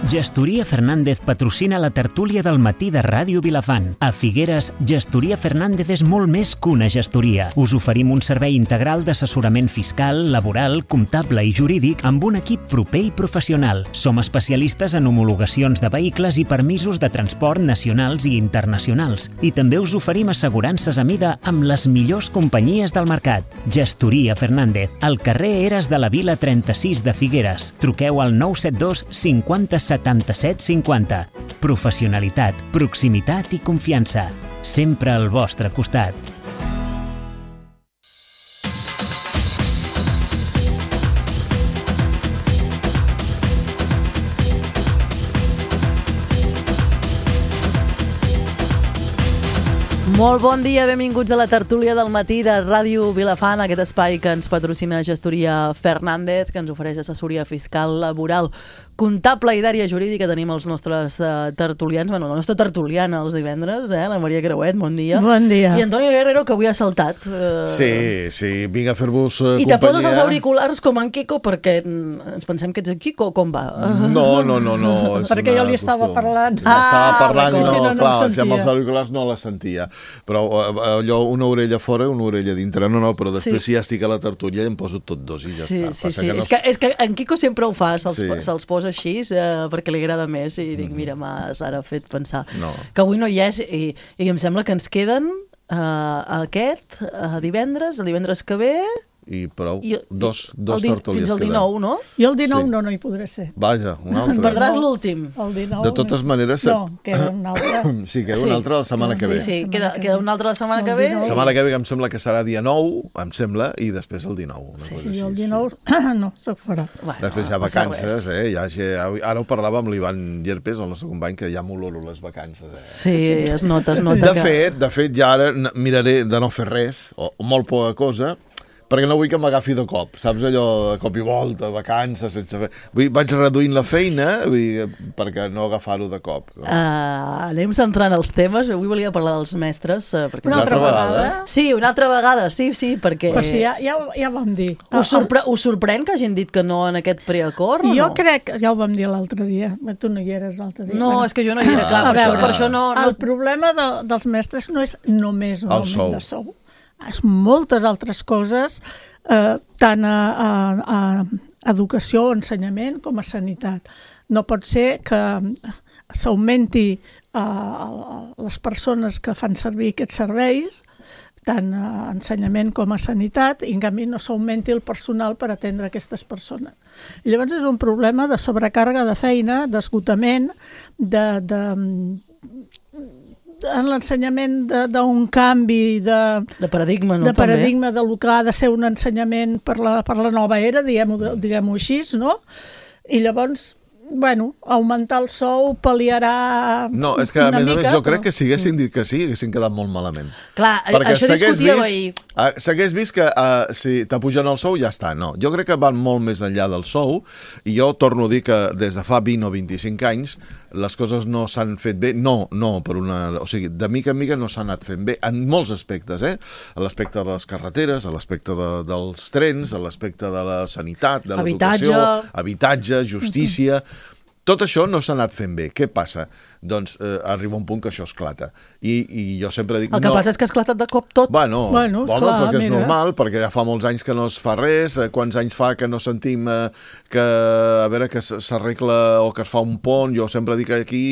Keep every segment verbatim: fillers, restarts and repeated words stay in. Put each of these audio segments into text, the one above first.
Gestoria Fernández patrocina la tertúlia del matí de Ràdio Vilafant. A Figueres, Gestoria Fernández és molt més que una gestoria. Us oferim un servei integral d'assessorament fiscal, laboral, comptable i jurídic amb un equip proper i professional. Som especialistes en homologacions de vehicles i permisos de transport nacionals i internacionals. I també us oferim assegurances a mida amb les millors companyies del mercat. Gestoria Fernández, al carrer Eres de la Vila trenta-sis de Figueres. Truqueu al nou set dos cinquanta setanta-set cinquanta. Professionalitat, proximitat i confiança. Sempre al vostre costat. Molt bon dia, benvinguts a la tertúlia del matí de Ràdio Vilafant, aquest espai que ens patrocina Gestoria Fernández, que ens ofereix assessoria fiscal, laboral, comptable i d'àrea jurídica. Tenim els nostres uh, tertulians, bueno, la nostra tertuliana els divendres, eh? La Maria Creuet, bon dia. Bon dia. I Antonio Guerrero, que avui ha saltat. Uh... Sí, sí, vinc a fer-vos uh, I companyia. te poses els auriculars com en Quico, perquè ens pensem que ets en Quico, com va? No, no, no, no. Perquè jo li estava costum. parlant. Ah, estava parlant i no, si no, no clar, em si amb els sentia. auriculars no la sentia. Però allò, una orella fora, una orella dintre, no, no, però després Sí. si ja estic a la tertúlia em poso tot dos i ja Sí, està. sí, Passa sí. que no... És, que, és que en Quico sempre ho fa, se'ls Sí. se posa així eh, perquè li agrada més i dic, mira, m'has ara fet pensar No. que avui no hi és i, i em sembla que ens queden uh, aquest uh, divendres, el divendres que ve I prou, i, dos, i dos el di- tertúlies fins al queden. dinou, no? I el dinou Sí. no, no hi podré ser. Vaja, un altre. Perdràs No. l'últim. El dinou... De totes maneres... No, queda un altre. Sí, queda Sí. un altre la setmana que Sí, ve. sí, La queda, setmana que queda ve. una altra la setmana El que ve. dinou. La setmana que ve em sembla que serà dia nou, em sembla, i després el dinou. Una Sí, cosa I així, el sí. dinou no, se farà. Bueno, Després hi ha no passa vacances, res. eh? Ja, ja, ara ho parlava amb l'Ivan Llerpes, el nostre company, que ja m'oloro les vacances. Eh? Sí, es nota, es nota De que... fet, de fet, ja ara n- miraré de no fer res, o molt poca cosa, perquè no vull que m'agafi de cop, saps allò, de cop i volta, vacances, sense fer... Vull, vaig reduint la feina vull, perquè no agafar-ho de cop. No? Uh, anem centrant els temes. Avui volia parlar dels mestres. Uh, perquè... Una altra Una altra vegada. vegada? Sí, una altra vegada, sí, sí, perquè... Però sí, ja, ja, ja vam dir. Us, sorpre us sorprèn que hagin dit que no en aquest preacord o Jo no? crec, ja ho vam dir l'altre dia, tu no hi eres l'altre dia. No, Bueno, és que jo no hi era, clar, a per, això, veure, per això no... no... El problema de, dels mestres no és només El l'augment sou. de sou. És moltes altres coses, eh, tant a, a, a educació o ensenyament com a sanitat. No pot ser que s'augmenti eh, les persones que fan servir aquests serveis, tant a ensenyament com a sanitat, i en canvi no s'augmenti el personal per atendre aquestes persones. I llavors és un problema de sobrecàrrega de feina, d'esgotament, de, de, en l'ensenyament d'un canvi de, De paradigma, no? de paradigma de lo que ha de ser un ensenyament per la, per la nova era, diguem-ho diguem així, no? I llavors, bueno, augmentar el sou pal·liarà No, és que a una més a mica, més jo però- crec que si haguessin dit que sí, haguessin quedat molt malament. Clar, Perquè això s'hagués discutíeu vist- ahir. ah, S'hagués vist que uh, si t'apugen el sou ja està, no. Jo crec que van molt més enllà del sou i jo torno a dir que des de fa vint o vint-i-cinc anys les coses no s'han fet bé, no, no, per una... O sigui, de mica en mica no s'han anat fent bé en molts aspectes, eh? A l'aspecte de les carreteres, a l'aspecte de, dels trens, a l'aspecte de la sanitat, de Habitatge. l'educació, habitatge, justícia... Tot això no s'ha anat fent bé. Què passa? Doncs eh, arriba un punt que això esclata. I, i jo sempre dic... El que no, passa és que ha esclatat de cop tot. Bueno, Bueno, home, esclar, perquè és mira. normal, perquè ja fa molts anys que no es fa res, eh, quants anys fa que no sentim eh, que, a veure, que s- s'arregla o que es fa un pont. Jo sempre dic que aquí,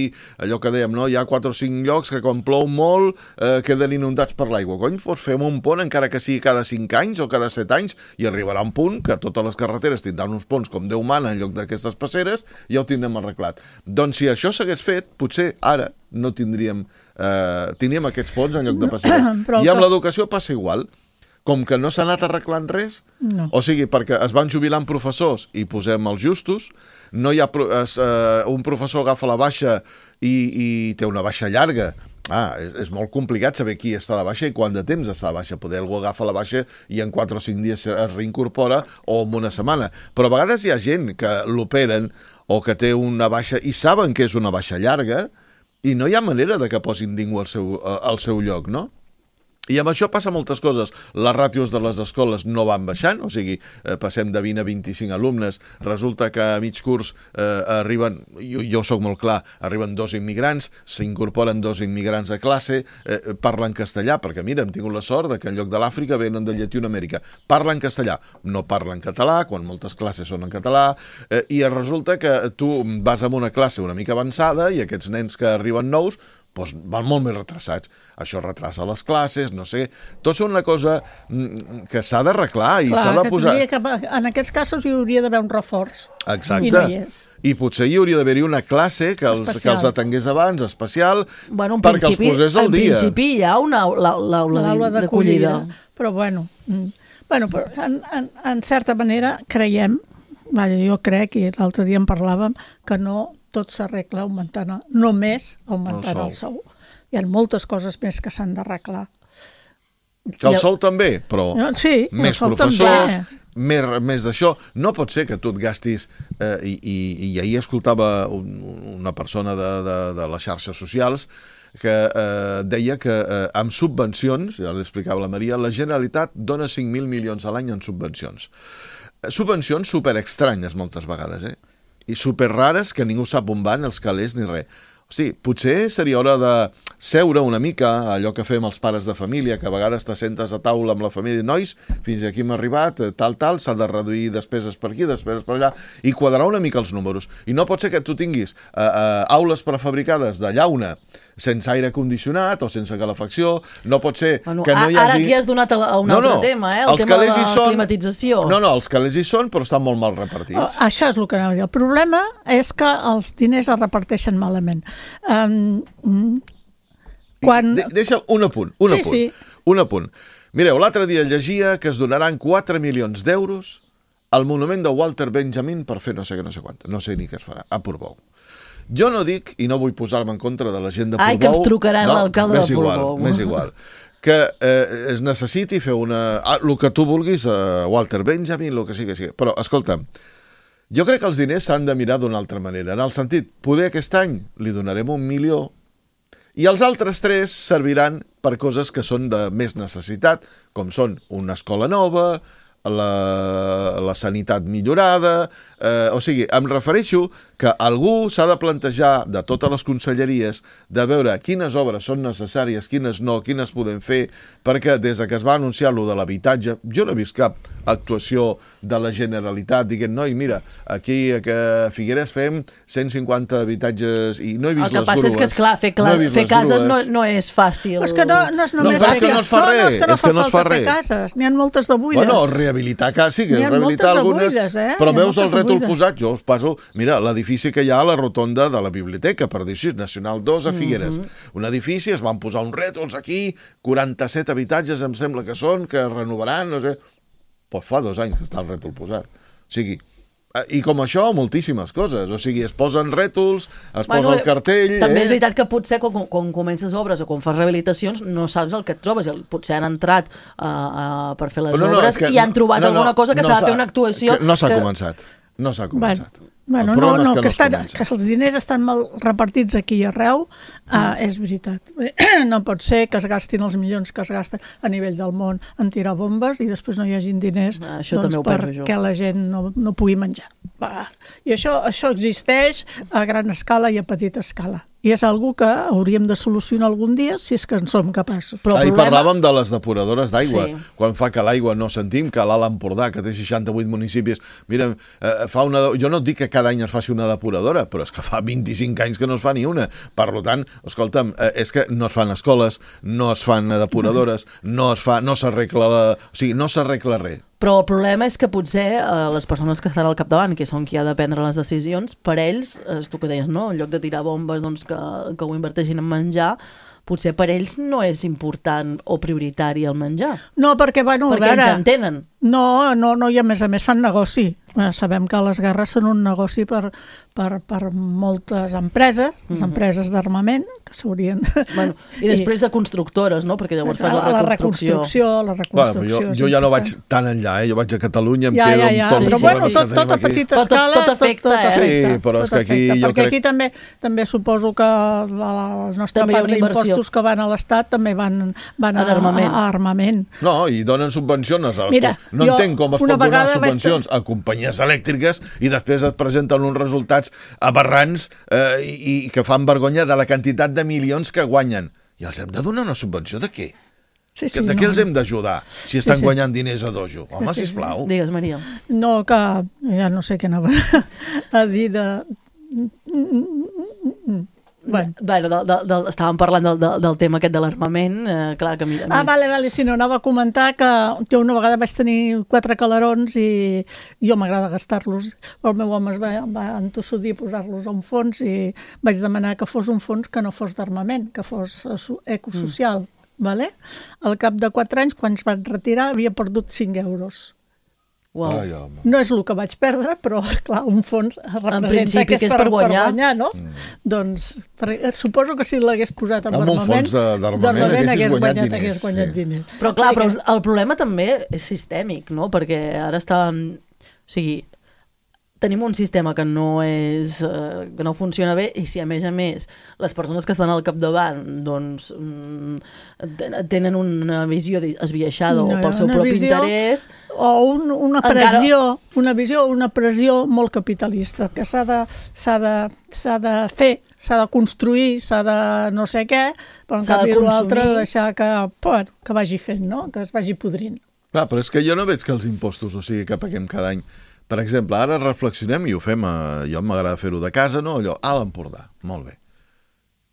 allò que dèiem, no? Hi ha quatre o cinc llocs que quan plou molt eh, queden inundats per l'aigua. Cony, doncs fem un pont encara que sigui cada cinc anys o cada set anys i arribarà un punt que totes les carreteres tindran uns ponts com Déu mana en lloc d'aquestes passeres i ja ho tindrem arreglat. Doncs si això s'hagués fet, potser ara no tindríem, eh, tindríem aquests ponts en lloc de passeres. Però I amb que- l'educació passa igual. Com que no s'ha anat arreglant res, No. o sigui, perquè es van jubilant professors i posem els justos, no hi ha pro es, eh, un professor agafa la baixa i, i té una baixa llarga. Ah, és, és molt complicat saber qui està a la baixa i quant de temps està a la baixa. Poder algú agafa la baixa i en quatre o cinc dies es reincorpora o en una setmana. Però a vegades hi ha gent que l'operen o que té una baixa i saben que és una baixa llarga i no hi ha manera de que posin ningú al seu, al seu lloc, no? I amb això passa moltes coses. Les ràtios de les escoles no van baixant, o sigui, eh, passem de vint a vint-i-cinc alumnes, resulta que a mig curs eh, arriben, jo, jo soc molt clar, arriben dos immigrants, s'incorporen dos immigrants a classe, eh, parlen castellà, perquè mira, hem tingut la sort de que en lloc de l'Àfrica venen de Llatinoamèrica. Parlen castellà, no parlen català, quan moltes classes són en català, eh, i resulta que tu vas a una classe una mica avançada i aquests nens que arriben nous doncs van molt més retrasats. Això retrasa les classes, no sé... Tot és una cosa que s'ha d'arreglar i s'ha de posar... Que en aquests casos hi hauria d'haver un reforç. Exacte. I no hi és. I potser hi hauria d'haver-hi una classe que els, que els atengués abans, especial, bueno, perquè els posés al dia. En principi hi ha una aula d'acollida. Però bueno, bueno però en, en, en certa manera creiem, jo crec, i l'altre dia en parlàvem, que no... tot s'arregla augmentant, només augmentant el sou. el sou. Hi ha moltes coses més que s'han d'arreglar. Que el sou també, però no, sí, més professors, més, més d'això. No pot ser que tu et gastis... Eh, i, i, I ahir escoltava un, una persona de, de, de les xarxes socials que eh, deia que eh, amb subvencions, ja l'explicava la Maria, la Generalitat dona cinc mil milions a l'any en subvencions. Subvencions superestranyes moltes vegades, eh? I superrares que ningú sap on van, els calés ni res. O sigui, potser seria hora de seure una mica, allò que fem els pares de família, que a vegades t'assentes a taula amb la família i nois, fins aquí hem arribat, tal, tal, s'ha de reduir despeses per aquí, despeses per allà, i quadrar una mica els números. I no pot ser que tu tinguis uh, uh, aules prefabricades de llauna sense aire condicionat o sense calefacció, no pot ser bueno, que no hi hagi... Ara aquí has donat a un no, altre no. tema, eh? el els tema de la són... climatització. No, no, els calés hi són, però estan molt mal repartits. Oh, això és el que anava a dir. El problema és que els diners es reparteixen malament. Um, quan... De, deixa un apunt, un sí, apunt, sí. un apunt. Mireu, l'altre dia llegia que es donaran quatre milions d'euros al monument de Walter Benjamin per fer no sé què, no sé quant, no sé ni què es farà, a Portbou. Jo no dic, i no vull posar-me en contra de la gent de Portbou... Ai, que ens trucaran no, l'alcalde de Portbou. Més igual, que eh, es necessiti fer una... Ah, el que tu vulguis, eh, Walter Benjamin, el que sigui, que sigui. Però, escolta'm, jo crec que els diners s'han de mirar d'una altra manera, en el sentit, poder aquest any li donarem un milió i els altres tres serviran per coses que són de més necessitat, com són una escola nova, la, la sanitat millorada, eh, o sigui, em refereixo que algú s'ha de plantejar de totes les conselleries de veure quines obres són necessàries, quines no, quines podem fer, perquè des que es va anunciar lo de l'habitatge, jo no he vist cap actuació de la Generalitat dient, noi, mira, aquí a Figueres fem cent cinquanta habitatges i no he vist les grues. El que passa és que, esclar, fer, clar, no fer cases no, no és fàcil. És que no, no és només no, és que no es fa res. No, no és que no és fa que no falta fa fer cases. N'hi ha moltes de buides. Bueno, rehabilitar cases, sí, que rehabilitar algunes, buides, eh? Però veus el rètol posat, jo us passo, mira, l'edifici que hi ha a la rotonda de la biblioteca, per dir així, Nacional dos a Figueres. Mm-hmm. Un edifici, es van posar uns rètols aquí, quaranta-set habitatges em sembla que són, que renovaran, no sé... Pues fa dos anys que està el rètol posat. O sigui, i com això, moltíssimes coses. O sigui, es posen rètols, es bueno, posa el cartell... També eh? és veritat que potser quan, quan comences obres o quan fas rehabilitacions no saps el que et trobes. Potser han entrat uh, uh, per fer les no, no, obres que, i han trobat no, no, alguna cosa que no s'ha de fer una actuació... No s'ha que... començat. No s'ha començat. Bueno, no, no, que, que, no estan, que els diners estan mal repartits aquí i arreu, uh, és veritat. No pot ser que es gastin els milions que es gasten a nivell del món en tirar bombes i després no hi hagin diners ah, doncs, perquè la gent no, no pugui menjar. Va. I això, això existeix a gran escala i a petita escala. I és algo que hauríem de solucionar algun dia si és que en som capaços. Però Ahir problema... parlàvem de les depuradores d'aigua, sí. Quan fa que l'aigua no sentim, que l'Alt Empordà, que té seixanta-vuit municipis, mira, eh, fa una... jo no et dic que cada any es faci una depuradora, però és que fa vint-i-cinc anys que no es fa ni una. Per tant, escolta'm, eh, és que no es fan escoles, no es fan depuradores, no es fa, no s'arregla la... o sigui, no s'arregla res. Però el problema és que potser eh, les persones que estan al capdavant, que són qui ha de prendre les decisions, per ells, és tu que deies, no? En lloc de tirar bombes doncs, que, que ho inverteixin en menjar, potser per ells no és important o prioritari el menjar. No, perquè, bueno, perquè a veure... ens entenen. No, no, no, i a més a més fan negoci. Sabem que les guerres són un negoci per, per, per moltes empreses, les empreses d'armament, que s'haurien... Bueno, I després de constructores, no? Perquè llavors fas la reconstrucció. La reconstrucció, bueno, jo, jo ja no vaig tan enllà, eh? Jo vaig a Catalunya, em ja, quedo ja, ja. amb tot. Però sí, bueno, sí, tot, tot a petita tot, escala... Tot, tot afecta, tot, tot eh? afecta, sí, però és que aquí afecta, jo perquè crec... aquí també, també suposo que la, la nostra també part d'impostos que van a l'Estat també van, van a, armament. a, a armament. No, i donen subvencions. Mira, no entenc com es pot donar subvencions estar... a companyies elèctriques i després et presenten uns resultats aberrants eh, i, i que fan vergonya de la quantitat de milions que guanyen. I els hem de donar una subvenció de què? Sí, sí, de no. què els hem d'ajudar si estan sí, sí. guanyant diners a dojo? Home, sí, sí, sisplau. Sí. Digues, Maria. No, que ja no sé què anava a dir de... Bueno, bueno de, de, de, estàvem parlant del, de, del tema aquest de l'armament, eh, clar que a mi... A mi... Ah, vale, vale, si no, anava a comentar que jo una vegada vaig tenir quatre calarons i jo m'agrada gastar-los. El meu home es va, va entossudir a posar-los a un fons i vaig demanar que fos un fons que no fos d'armament, que fos ecosocial. Mm. Vale? Al cap de quatre anys, quan es van retirar, havia perdut cinc euros. Wow. Ai, home. No és el que vaig perdre, però clar, un fons representa principi, que és, que és per, per guanyar, per guanyar no? Mm. Doncs per, suposo que si l'hagués posat amb, amb un armament, fons d'armament hagués guanyat diners. Hagués guanyat sí. diners. Però clar, però el problema també és sistèmic, no? Perquè ara està... O sigui, tenim un sistema que no és eh, que no funciona bé i si a més a més les persones que estan al capdavant doncs tenen una visió esbiaixada no, o pel seu propi visió, interès o un, una pressió encara... una visió una pressió molt capitalista que s'ha de, s'ha de, s'ha de fer, s'ha de construir, s'ha de no sé què, però en canvi l'altre deixar que, bueno, que vagi fent, no? Que es vagi podrint. Clar, però és que jo no veig que els impostos, o sigui, que paguem cada any. Per exemple, ara reflexionem i ho fem, a, jo m'agrada fer-ho de casa, no? Allò, a l'Empordà, molt bé.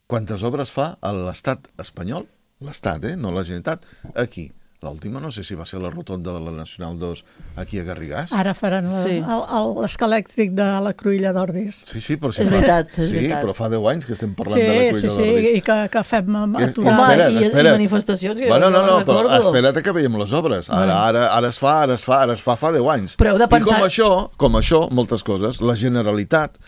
Quantes obres fa a l'estat espanyol? L'estat, eh? No la Generalitat. Aquí. L'última, no sé si va ser la rotonda de la Nacional dos aquí a Garrigàs. Ara faran sí. l'escalèctric de la Cruïlla d'Ordis. Sí, sí, però si és fa... veritat, és sí, veritat. però fa deu anys que estem parlant sí, de la Cruïlla sí, sí, d'Ordis. Sí, i que, que fem aturar. Home, espera't, i, espera't. i manifestacions que bueno, no, no, no però recordo. espera't que veiem les obres. Ara, ara, ara es fa, ara es fa, ara es fa fa deu anys. Però heu de pensar... I com això, com això, moltes coses, la Generalitat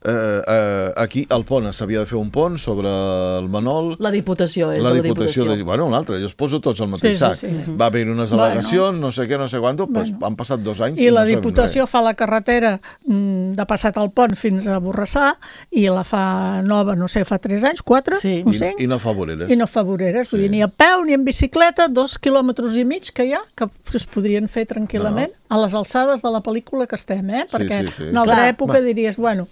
Eh, eh, aquí al pont s'havia de fer un pont sobre el Manol. La Diputació és la la Diputació. Diputació. De, bueno, un altre, jo els poso tots al mateix sí, sac. sí, sí. Va haver unes al·legacions, bueno. no sé què, no sé quant, bueno. Pues, han passat dos anys. I no la Diputació fa la carretera mm, de passat al pont fins a Borrassà i la fa nova, no sé, fa tres anys, quatre, sí. o I, cinc. I no fa voreres. I no fa voreres, sí. vull dir, ni a peu ni en bicicleta, dos quilòmetres i mig que hi ha, que es podrien fer tranquil·lament no. a les alçades de la pel·lícula que estem, eh? Perquè sí, sí, sí. en una altra Clar. època diries, bueno...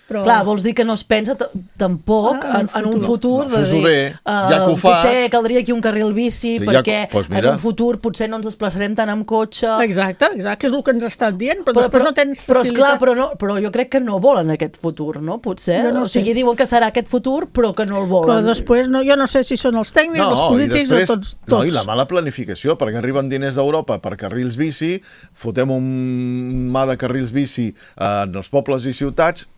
Però... Clar, vols dir que no es pensa tampoc ah, en, en un futur no, de dir, bé, ja que ho fas... potser caldria aquí un carril bici sí, perquè ja, pues en un futur potser no ens desplaçarem tant amb cotxe. Exacte, exacte, que és el que ens estan dient, però, però després però, no tens facilitat. Però esclar, però, no, però jo crec que no volen aquest futur, no? Potser, no o sigui, sé. Diuen que serà aquest futur però que no el volen. Que després, no, jo no sé si són els tècnics, no, els polítics després, o tots, tots. No, i la mala planificació, perquè arriben diners d'Europa per carrils bici, fotem un mà de carrils bici en els pobles i ciutats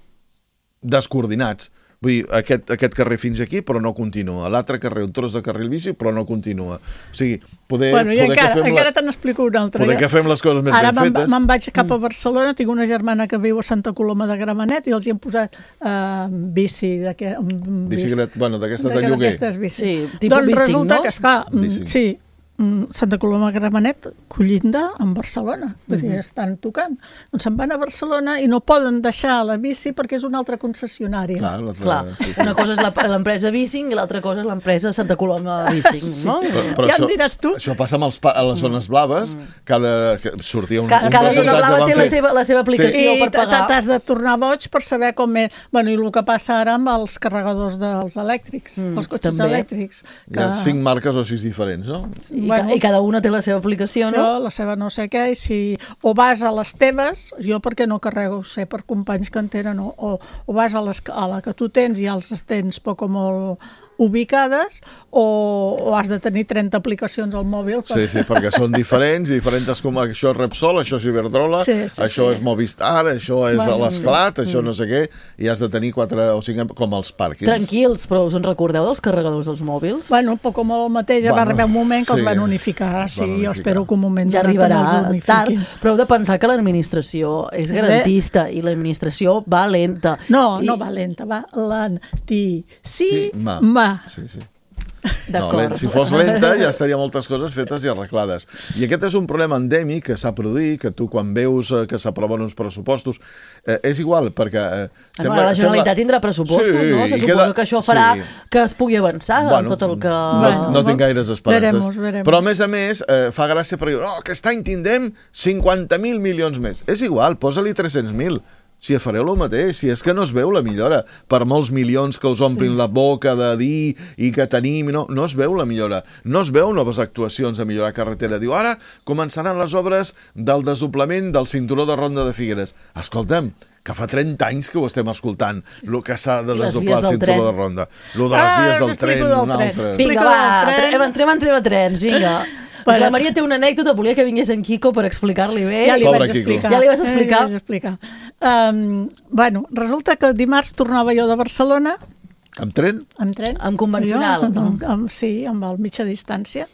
descoordinats. Vull dir, aquest, aquest carrer fins aquí, però no continua. L'altre carrer, un tros de carril bici, però no continua. O sigui, poder... Bueno, i poder encara, que fem encara la... te n'explico una altra. Poder ja. que fem les coses més Ara ben fetes. Ara me'n vaig cap a Barcelona, tinc una germana que viu a Santa Coloma de Gramenet i els hi hem posat uh, bici. De, um, Bicicleta, bueno, d'aquestes de lloguer. Bici. Sí, tipus doncs bicing, resulta no? que, esclar, Bicing. sí, Santa Coloma de Gramenet, collinda amb Barcelona, vull dir, Uh-huh. estan tocant. Doncs se'n van a Barcelona i no poden deixar la bici perquè és una altra concessionària. Clar, Clar. Sí, sí. Una cosa és l'empresa Bicing i l'altra cosa és l'empresa Santa Coloma Bicing, sí. no? Però, però ja això, em diràs tu. Això passa amb els pa a les zones blaves, cada, que sortia un... Ca, un cada zona blava té la fer... seva, la seva aplicació sí. per pagar. I t'has de tornar boig per saber com és. Bueno, i el que passa ara amb els carregadors dels elèctrics, mm, els cotxes també. elèctrics. Que... Hi ha cinc marques o sis diferents, no? I, bueno, ca, I cada una té la seva aplicació, això, no? la seva no sé què, i si o vas a les teves, jo perquè no carrego, sé per companys que en tenen, o, o, o vas a, les, a la que tu tens i els tens poc o molt ubicades o, o has de tenir trenta aplicacions al mòbil. Per... Sí, sí, perquè són diferents, diferents com això és Repsol, això és Iberdrola, sí, sí, això sí. és Movistar, això és Bueno, a l'Esclat, mm. això no sé què, i has de tenir quatre o cinc com els pàrquings. Tranquils, però us en recordeu dels carregadors dels mòbils? Bueno, un poc com el mateix, ja Bueno, va arribar un moment que sí, els van unificar, els sí, van jo unificar. espero que un moment Ja donat arribarà també els tard, unifiquin. però heu de pensar que l'administració és garantista i l'administració va lenta. No, I... no va lenta, va lentíssima. Sí, sí. D'acord. No, lent, si fos lenta ja estaria moltes coses fetes i arreglades. I aquest és un problema endèmic que s'ha produït, que tu quan veus eh, que s'aproven uns pressupostos, eh, és igual, perquè... Eh, sembla, bueno, la Generalitat sembla... tindrà pressupostos, sí, no? Se suposa queda... que això farà sí. que es pugui avançar bueno, en tot el que... No, no tinc gaires esperances. Veremos, veremos. Però a més a més, eh, fa gràcia perquè diu, oh, aquest any tindrem cinquanta mil milions més. És igual, posa-li tres-cents mil. Si fareu el mateix, si és que no es veu la millora, per molts milions que us omplin sí. la boca de dir i que tenim, no, no es veu la millora, no es veu noves actuacions a millorar carretera. Diu, ara començaran les obres del desdoblament del cinturó de Ronda de Figueres. Escolta'm, que fa trenta anys que ho estem escoltant, sí. el que s'ha de desdoblar el cinturó de Ronda. Lo de les ah, vies del tren, un altre. Vinga, va, entrem en tema trens, vinga. Però... La Maria té una anècdota, volia que vingués en Quico per explicar-li bé. Ja li Pobre vaig Quico. explicar. Ja li vas explicar? Ja li vaig explicar. Um, bueno, resulta que dimarts tornava jo de Barcelona. Amb tren? Amb tren. Amb convencional? Jo, amb, amb, sí, amb el mitja distància.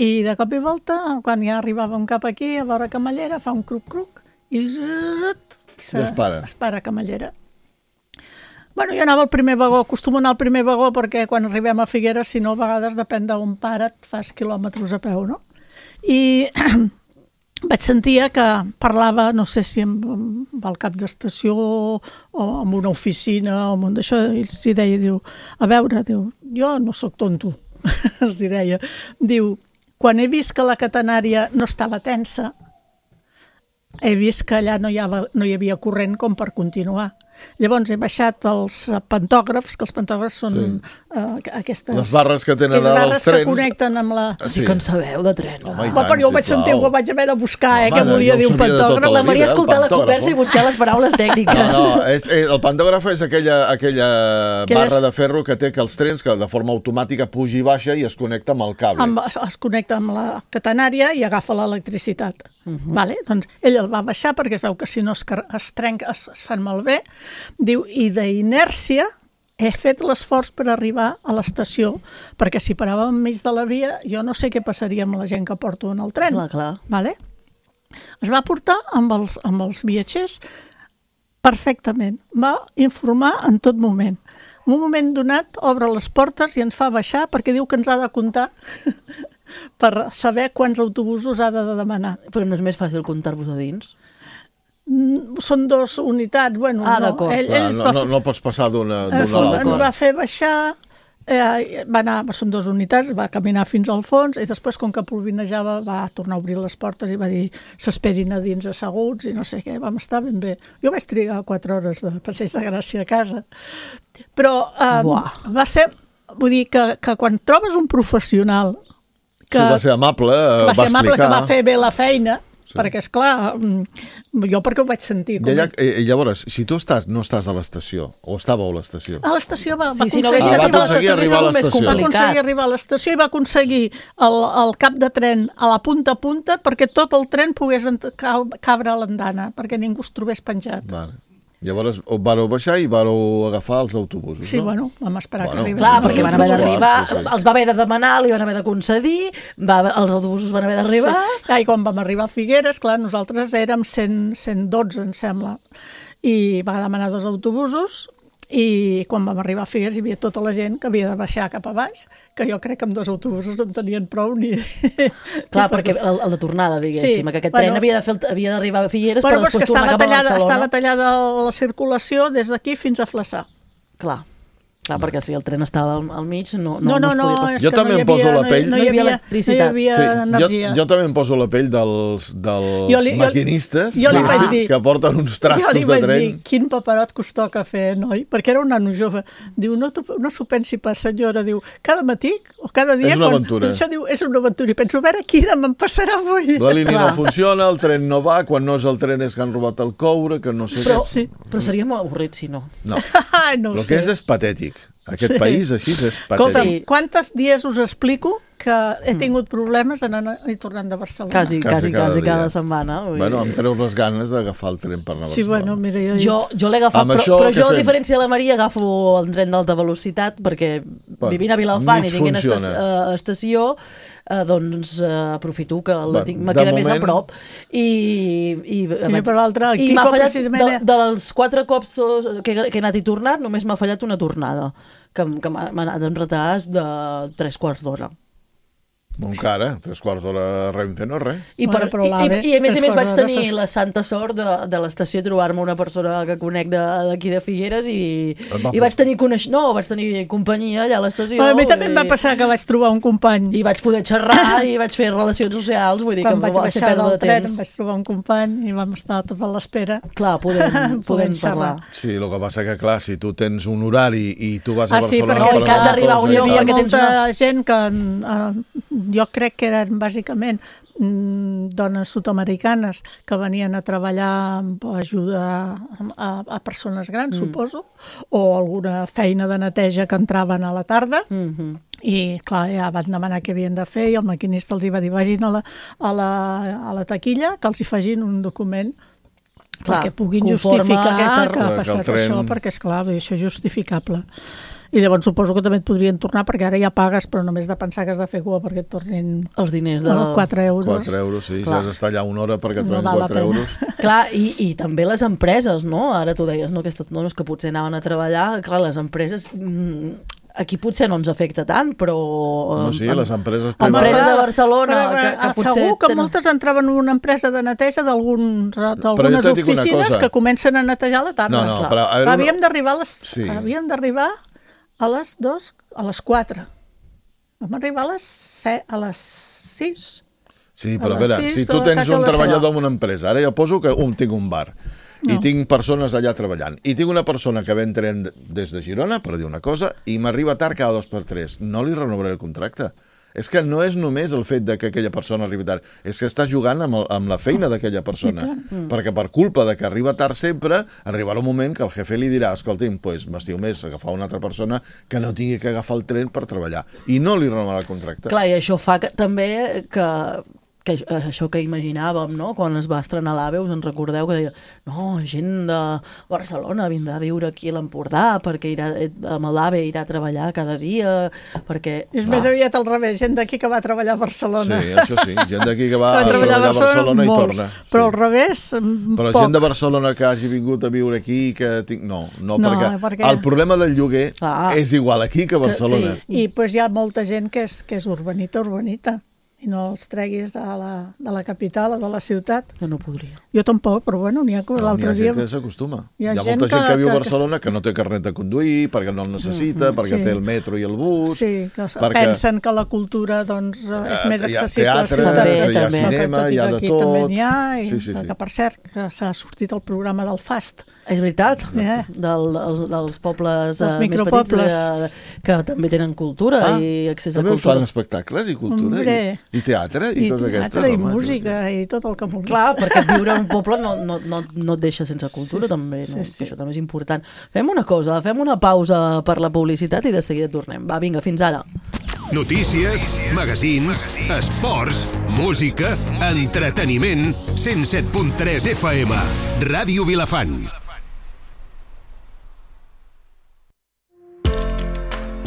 I de cop i volta, quan ja arribàvem cap aquí, a veure Camallera, fa un cruc-cruc i, zzzt, i se, es para. Es para Camallera. Bueno, jo anava al primer vagó, acostumo a anar al primer vagó perquè quan arribem a Figueres, si no, a vegades depèn d'on para, et fas quilòmetres a peu, no? I vaig sentir que parlava, no sé si amb, amb el cap d'estació o amb una oficina o amb un d'això, i els deia, diu, a veure, diu, jo no sóc tonto, els deia, diu, quan he vist que la catenària no estava tensa, he vist que allà no hi havia, no hi havia corrent com per continuar. Llavors he baixat els pantògrafs, que els pantògrafs són sí. uh, aquestes... Les barres que tenen els barres trens. que connecten amb la... Sí, sí que en sabeu de tren. Home, Home, però jo ho vaig sentir, ho vaig haver de buscar, eh, que volia dir un pantògraf. La Maria ha escoltat la conversa i buscar les paraules tècniques. No, no, és, és, el pantògraf és aquella, aquella barra de ferro que té que els trens, que de forma automàtica puja i baixa i es connecta amb el cable. Amb, es connecta amb la catenària i agafa l'electricitat. Uh -huh. Vale? Doncs ell el va baixar perquè es veu que si no es, es trenca, es, es fan malbé. Diu, i d'inèrcia he fet l'esforç per arribar a l'estació, perquè si paràvem enmig de la via, jo no sé què passaria amb la gent que porto en el tren. Clar, clar. Vale? Es va portar amb els, amb els viatgers perfectament. Va informar en tot moment. En un moment donat obre les portes i ens fa baixar perquè diu que ens ha de comptar per saber quants autobusos ha de demanar. Però no és més fàcil comptar-vos a dins? Són dos unitats, bueno, ah, no. Ell, ell no, no, no, no pots passar d'una a l'altra. Ens va fer baixar, eh, va anar, són dues unitats, va caminar fins al fons i després, com que polvinejava, va tornar a obrir les portes i va dir s'esperin a dins asseguts i no sé què, vam estar ben bé. Jo vaig trigar quatre hores de passeig de Gràcia a casa. Però eh, va ser, vull dir que, que quan trobes un professional que sí, va ser amable, va, va ser amable, explicar. Que va fer bé la feina, sí. Perquè, esclar, jo perquè ho vaig sentir. Com... I, allà, i llavors, si tu estàs, no estàs a l'estació, o estàveu a l'estació? A l'estació va, va sí, aconseguir, sí, no, ah, va aconseguir arribar a l'estació. Va aconseguir arribar a l'estació i va aconseguir el, el cap de tren a la punta a punta perquè tot el tren pogués cabre a l'andana, perquè ningú es trobés penjat. Vale. Llavors vareu baixar i vareu agafar els autobusos, sí, no? Sí, bueno, vam esperar bueno, que arribés. Clar, perquè van haver d'arribar, sí, sí. els va haver de demanar, li van haver de concedir, va, els autobusos van haver d'arribar... Sí. I quan vam arribar a Figueres, clar, nosaltres érem cent, cent dotze, em sembla, i va demanar dos autobusos, i quan vam arribar a Figueres hi havia tota la gent que havia de baixar cap a baix, que jo crec que amb dos autobusos no en tenien prou ni... Clar, perquè el, el de tornada, diguéssim, sí, que aquest bueno, tren havia, de fer, havia d'arribar a Figueres però, per després tornar cap a tallada, Barcelona. Estava tallada la circulació des d'aquí fins a Flaçà. Clar. Clar, perquè si el tren estava al, al mig no, no, no, no, no es podia passar. Jo també no em poso la pell... No hi havia, electricitat. No hi havia sí, energia. Jo, jo també em poso la pell dels, dels jo li, maquinistes jo, jo li vaig dir, que porten uns trastos de tren. Jo li vaig dir, quin paperot que us toca fer, noi? Perquè era un nano jove. Diu, no, no s'ho pensi pas, senyora. Diu, cada matí o cada dia... És una quan, aventura. Això diu, és una aventura. I penso, a veure quina me'n passarà avui. La línia Clar. no funciona, el tren no va, quan no és el tren és que han robat el coure, que no sé però, què. Sí. Però seria molt avorrit si no. No, no el que és és patètic. Aquest Sí. país així és Escolta, patètic. quantes dies us explico que he tingut problemes anant i tornant de Barcelona? Quasi, Quasi quasi, cada quasi cada dia. setmana. Vull Bueno, dir. em treu les ganes d'agafar el tren per anar a Sí, Barcelona. bueno, mira, jo... Jo, jo l'he agafat, Amb però, això però què jo, a fem? diferència de la Maria, agafo el tren d'alta velocitat perquè Bueno, vivint a Vilafant mig i tinguent esta, funciona. uh, estació, uh, doncs uh, aprofito que la Bueno, tinc, me de queda més a moment- prop. I, i, I per l'altre, el i Quico m'ha fallat, precisament... de, dels quatre cops que, que he anat i tornat, només m'ha fallat una tornada, que, que m'ha m'ha anat en retards de tres quarts d'hora. Molt cara, tres quarts d'hora Renfe no és res. I, per, Bueno, però i, l'AVE, i, I a més a tres més vaig quarts d'hora tenir s'ha- la santa sort de, de l'estació trobar-me una persona que conec de- d'aquí de, de Figueres i, va, i vaig tenir coneix... no, vaig tenir companyia allà a l'estació. A mi també em va i, passar que vaig trobar un company. I vaig poder xerrar i vaig fer relacions socials, vull dir Quan que vaig no va ser baixar pèrdua del de tren, temps. em vaig trobar un company i vam estar tota l'espera. Clar, podem, podem Podem parlar. xerrar. Sí, el que passa que, clar, si tu tens un horari i tu vas a Ah, sí, Barcelona... perquè No, i que has d'arribar a un hi lloc havia perquè tens molta una- gent que eh, jo crec que eren bàsicament mm, dones sud-americanes que venien a treballar amb ajuda a, a persones grans, mm. suposo, o alguna feina de neteja que entraven a la tarda. Mm -hmm. I, clar, ja van demanar què havien de fer i el maquinista els hi va dir vagin a la, a la, a la taquilla que els hi facin un document Clar, perquè puguin conforme justificar aquesta- que ha Que el passat tren- això, perquè, esclar, això és justificable. I llavors suposo que també et podrien tornar, perquè ara ja pagues, però només de pensar que has de fer cua perquè et tornin Els diners de... de... quatre euros. quatre euros, sí, Clar. si has d'estar allà una hora perquè et No donin val la quatre pena. euros. Clar, i, i també les empreses, no? Ara tu deies, no, aquestes dones que potser anaven a treballar, clar, les empreses... Mm, aquí potser no ens afecta tant, però... No, sí, eh, les empreses Home, privades... empreses de Barcelona, Però, que, però, que potser... segur que tenen- moltes entraven en una empresa de neteja d'alguns- Però d'algunes jo te dic una oficines cosa. que comencen a netejar a la tarda. No, no, Clar. però a veure, Havíem una- d'arribar a les, Sí. havíem d'arribar a les dos, a les quatre. Vam arribar a les set, a les sis. Sí, però a A les veure, sis, si tu tota tens casa un a la treballador sala. en una empresa, ara jo poso que un tinc un bar, no. i tinc persones allà treballant, i tinc una persona que ven tren des de Girona, per dir una cosa, i m'arriba tard cada dos per tres, no li renovaré el contracte. És que no és només el fet de que aquella persona arribi tard, és que està jugant amb, el, amb la feina d'aquella persona. Mm. Perquè per culpa de que arriba tard sempre, arribarà un moment que el jefe li dirà, escolti'm, pues, m'estiu més agafar una altra persona que no tingui que agafar el tren per treballar. I no li renovarà el contracte. Clar, i això fa que, també que, que això que imaginàvem, no? Quan es va estrenar l'AVE, us en recordeu que deia no, gent de Barcelona vindrà a viure aquí a l'Empordà perquè irà, amb l'AVE irà a treballar cada dia, perquè... És més aviat al revés, gent d'aquí que va treballar a Barcelona. Sí, això sí, gent d'aquí que va Va a treballar a Barcelona i molts, torna. però al Sí. revés, mm, Però poc. gent de Barcelona que hagi vingut a viure aquí, que tinc... no, no, No, perquè, perquè- el problema del lloguer Clar. és igual aquí que a Barcelona. sí. I pues, hi ha molta gent que és, que és urbanita, urbanita, i no els treguis de la, de la capital o de la ciutat. Jo no podria. Jo tampoc, però bueno, n'hi ha que Però n'hi l'altre ha dia... gent que s'acostuma. Hi Hi ha ha, gent molta gent que- que, viu a que- Barcelona que no té carnet de conduir, perquè no el necessita, perquè sí. té el metro i el bus... Sí, que perquè, pensen que la cultura doncs, eh, és Eh, més hi ha accessible a la teatre, ciutat. també, que- hi ha que cinema, tot i hi ha que de aquí tot. també n'hi ha, i Sí, sí, sí. que per cert, que s'ha sortit el programa del FAST. És veritat, Eh. del, dels, dels pobles Dels eh, més petits micropobles. eh, que també tenen cultura Ah, i accés a també us cultura. fan espectacles i cultura, Hombre. i, i teatre, i, I coses teatre, aquestes. i home, música, i tot el que vulguis. Clar, perquè viure en un poble no, no, no, no et deixa sense cultura, sí, també, no? sí, sí. Que això també és important. Fem una cosa, fem una pausa per la publicitat i de seguida tornem. Va, vinga, fins ara. Notícies, magazins, esports, música, entreteniment, cent set punt tres F M. Ràdio Vilafant.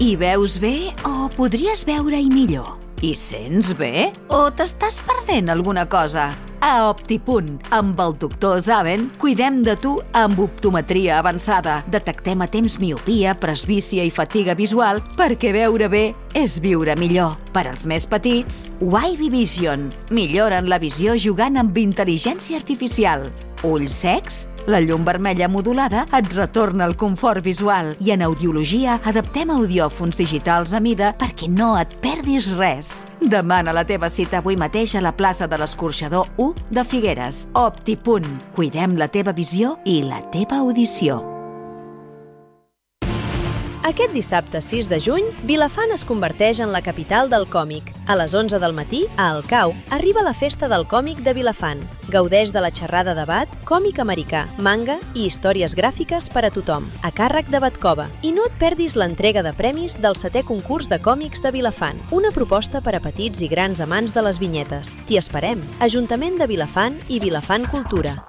Hi veus bé o podries veure-hi millor? Hi sents bé o t'estàs perdent alguna cosa? A Optipunt, amb el doctor Zaven, cuidem de tu amb optometria avançada. Detectem a temps miopia, presbícia i fatiga visual perquè veure bé és viure millor. Per als més petits, Wavy Vision. Milloren la visió jugant amb intel·ligència artificial. Ulls secs? La llum vermella modulada et retorna el confort visual i en audiologia adaptem audiòfons digitals a mida perquè no et perdis res. Demana la teva cita avui mateix a la plaça de l'Escorxador u de Figueres. Optipunt. Cuidem la teva visió i la teva audició. Aquest dissabte sis de juny, Vilafant es converteix en la capital del còmic. A les onze del matí, a Alcau, arriba la Festa del Còmic de Vilafant. Gaudeix de la xerrada debat, còmic americà, manga i històries gràfiques per a tothom, a càrrec de Batcova. I no et perdis l'entrega de premis del setè concurs de còmics de Vilafant, una proposta per a petits i grans amants de les vinyetes. T'hi esperem. Ajuntament de Vilafant i Vilafant Cultura.